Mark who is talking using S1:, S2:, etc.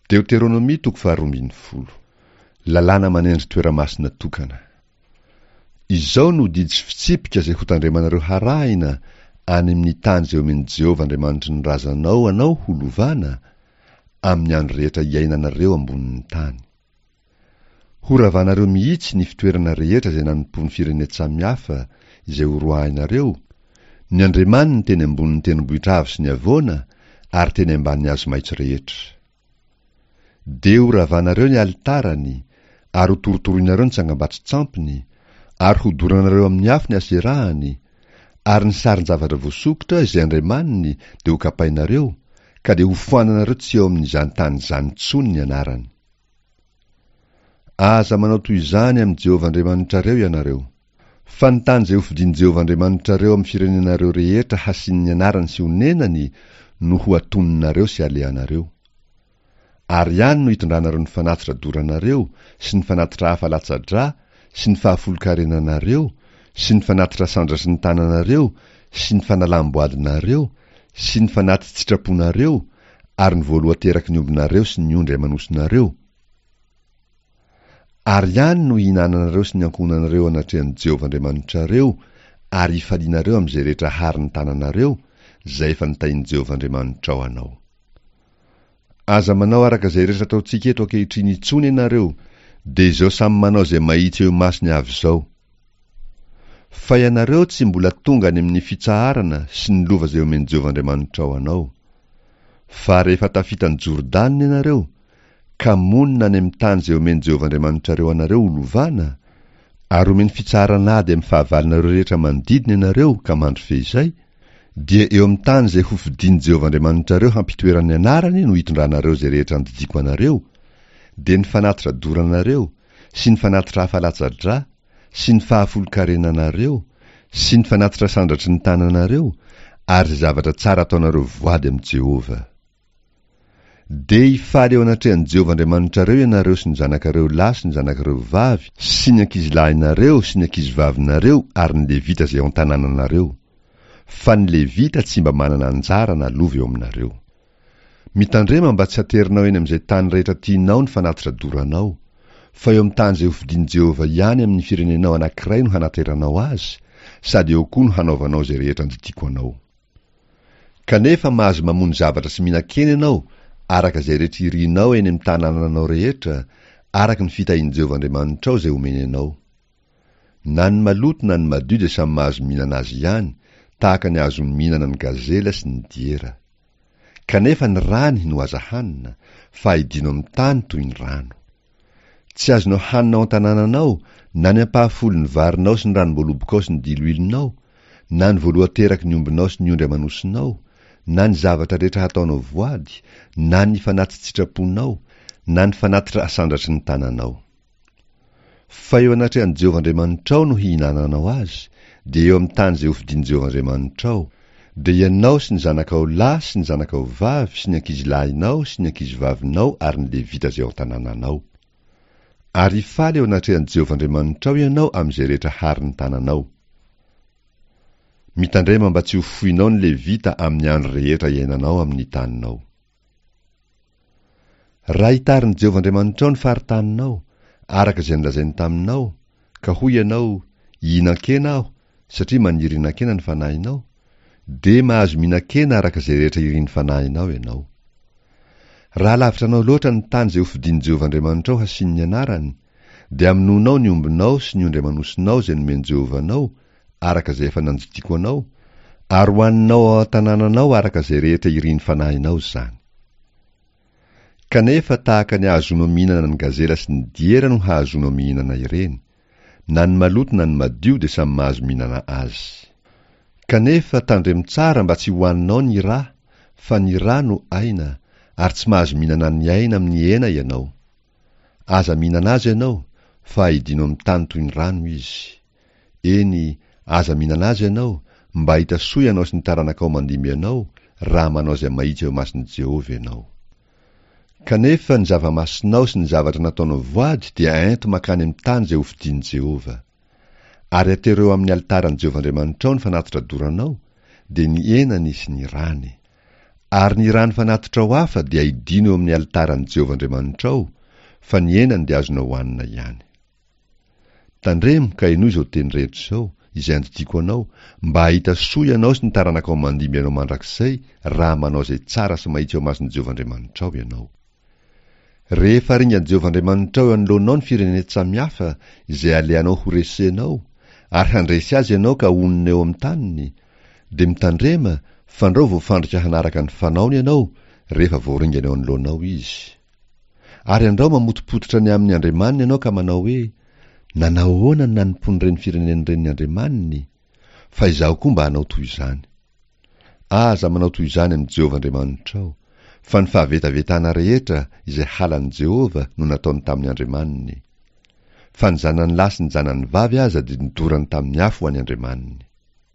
S1: Deoteronomia toko faharoambinifolo. Lalàna manendry toeramasina tokana. Izao no didy sy fitsipika izay hotandremanareo harahina any amin'ny tany izay omen'i Jehovah Andriamanitry ny razanao anao ho lovana, amin'ny andro rehetra iainanareo ambonin'ny tany. Horavanareo mihitsy ny fitoerana rehetra izay nanompoan'ny firenen-tsamihafa izay horoahinareo, ny andriamaniny teny ambonin'ny tendrombohitra avo sy ny havoana ary teny ambanin'ny hazo maitso rehetra. Dia horavanareo ny alitarany, ary hotorotoroinareo ny tsangambato-tsampiny, ary hodoranareo amin'ny afo ny aserahany, ary ny sarin-javatra voasokitra izay andriamaniny dia hokapainareo, ka dia hofoananareo tsy eo amin'izany tany izany intsony ny anarany. Aza manao toy izany amin'i Jehovah Andriamanitrareo ianareo. Fa ny tany izay hofidin'i Jehovah Andriamanitrareo amin'ny firenenareo rehetra hasian'ny anarany sy honenany no ho atoninareo sy alehanareo. Ary any no hitondranareo ny fanatitra doranareo sy ny fanatitra hafa latsa-drà sy ny fahafolonkarenanareo sy ny fanatitra sandratry ny tananareo sy ny fanalam-boadinareo sy ny fanati-tsitraponareo ary ny voalohan-teraky ny ombinareo sy ny ondry aman'osinareo, ary any no hihinananareo sy ny ankohonanareo anatrehan'i Jehovah Andriamanitrareo ary hifalianareo amin'izay rehetra harin'ny tananareo, izay efa notahin'i Jehovah Andriamanitrao anao. Aza manao araka izay rehetra ataontsika eto ankehitriny intsony ianareo, dia izao samy manao izay mahitsy eo imasony avy izao. Fa ianareo tsy mbola tonga any amin'ny fitsaharana sy ny lova izay omen'i Jehovah Andriamanitrao anao. Fa rehefa tafita an'i Jordana ianareo, ka monina any amin'ny tany izay omen'i Jehovah Andriamanitrareo anareo ho lovana, ary omeny fitsaharan'ady amin'ny fahavalonareo rehetra manodidina ianareo ka mandry feizay, dia eo amin'ny tany izay hofidin'i Jehovah Andriamanitrareo hampitoerany ny anarany no hitondranareo izay rehetra andidiako anareo, dia ny fanatitra doranareo, sy ny fanatitra hafa latsa-drà, sy ny fahafolonkarenanareo, sy ny fanatitra sandratry ny tananareo, ary izay zavatra tsara ataonareo voady amin'i Jehovah. Dia hifaly eo anatrehan'i Jehovah Andriamanitrareo ianareo sy ny zanakareo lahy sy ny zanakareo vavy, sy ny ankizilahinareo sy ny ankizivavinareo ary ny Levita izay ao an-tanànanareo, fa ny Levita tsy mba manana anjara na lova eo aminareo. Mitandrema mba tsy haterinao eny amin'izay tany rehetra tianao ny fanatitra doranao, fa eo amin'ny tany izay hofidin'i Jehovah ihany amin'ny firenenao anankiray no hanateranao azy, sady eo koa no hanaovanao izay rehetra andidiako anao. Kanefa mahazo mamono zavatra sy mihinan-kena ianao araka izay rehetra irinao eny amin'ny tanànanao rehetra, araka ny fitahian'i Jehovah Andriamanitrao izay omeny anao. Na ny maloto na ny madio dia samy mahazo mihinana azy ihany, tahaka ny ahazoany mihinana ny gazela sy ny diera. Kanefa ny rany no aza hanina, fa aidino amin'ny tany toy ny rano. Tsy azonao hanina ao an-tanànanao na ny ampahafolon'ny varinao sy ny ranom-boalobokao sy ny diloilonao, na ny voalohan-teraky ny ombinao sy ny ondry aman'osinao, na ny zavatra rehetra hataonao voady, na ny fanati-tsitraponao, na ny fanatitra asandratry ny tananao. Fa eo anatrehan'i Jehovah Andriamanitrao no hihinananao azy, dia eo amin'ny tany izay hofidin'i Jehovah Andriamanitrao, dia ianao sy ny zanakao lahy sy ny zanakao vavy sy ny ankizilahinao sy ny ankizivavinao ary ny Levita izay ao an-tanànanao. Ary hifaly eo anatrehan'i Jehovah Andriamanitrao ianao amin'izay rehetra harin'ny tananao. Mitandrema mba tsy ho foinao ny Levita amin'ny andro rehetra iainanao amin'ny taninao. Raha hitarin'i Jehovah Andriamanitrao ny faritaninao, araka izay nolazainy taminao, ka hoy ianao, 'Hihinan-kena aho, satria maniry hihinan-kena ny fanahinao', dia mahazo mihinan-kena araka izay rehetra irin'ny fanahinao ianao. Raha lavitra anao loatra ny tany izay hofidin'i Jehovah Andriamanitrao hasiany ny anarany, dia hamonoanao ny ombinao sy ny ondry aman'osinao izay nomen'i Jehovah anao, araka izay efa nandidiako anao, ary hohaninao ao an-tanànanao araka izay rehetra irin'ny fanahinao izany. Kanefa tahaka ny ahazoanao mihinana ny gazela sy ny diera no hahazoanao mihinana ireny, na ny maloto na ny madio dia samy mahazo mihinana azy. Kanefa tandremo tsara mba tsy hohaninao ny ra, fa ny ra no aina, ary tsy mahazo mihinana ny aina amin'ny hena ianao. Aza mihinana azy ianao, fa aidino amin'ny tany toy ny rano izy. Eny, aza mihinana azy ianao, mba hahita soa ianao sy ny taranakao mandimby anao, raha manao izay mahitsy eo imason'i Jehovah ianao. Kanefa ny zava-masinao sy ny zavatra nataonao voady dia ento mankany amin'ny tany izay hofidin'i Jehovah. Ary atero eo amin'ny alitaran'i Jehovah Andriamanitrao ny fanatitra doranao, dia ny henany sy ny rany. Ary ny rano fanatitrao hafa dia aidino eo amin'ny alitaran'i Jehovah Andriamanitrao, fa ny henany dia azonao hohanina ihany. Tandremo ka henoy izao teny rehetra izao, izay andidiako anao, mba hahita soa ianao sy ny taranakao mandimby anao mandrakizay, raha manao izay tsara sy mahitsy eo imason'i Jehovah Andriamanitrao ianao. Rehefa aringan'i Jehovah Andriamanitrao eo anoloanao ny firenen-tsamihafa izay alehanao horesenao, ary handresy azy ianao ka honina eo amin'ny taniny, dia mitandrema fandrao voafandrika hanaraka ny fanaony ianao rehefa voaringana eo anoloanao izy. Ary andrao mamotopototra ny amin'ny andriamaniny ianao ka manao hoe, Nanao ahoana ny nanompoan'ireny firenena ireny ny andriamaniny? Fa izaho koa mba hanao toy izany. Aza manao toy izany amin'i Jehovah Andriamanitrao, fa ny fahavetavetana rehetra izay halan'i Jehovah no nataony tamin'ny andriamaniny. Fa ny zanany lahy sy ny zanany vavy aza dia nodorany tamin'ny afo ho an'ny andriamaniny.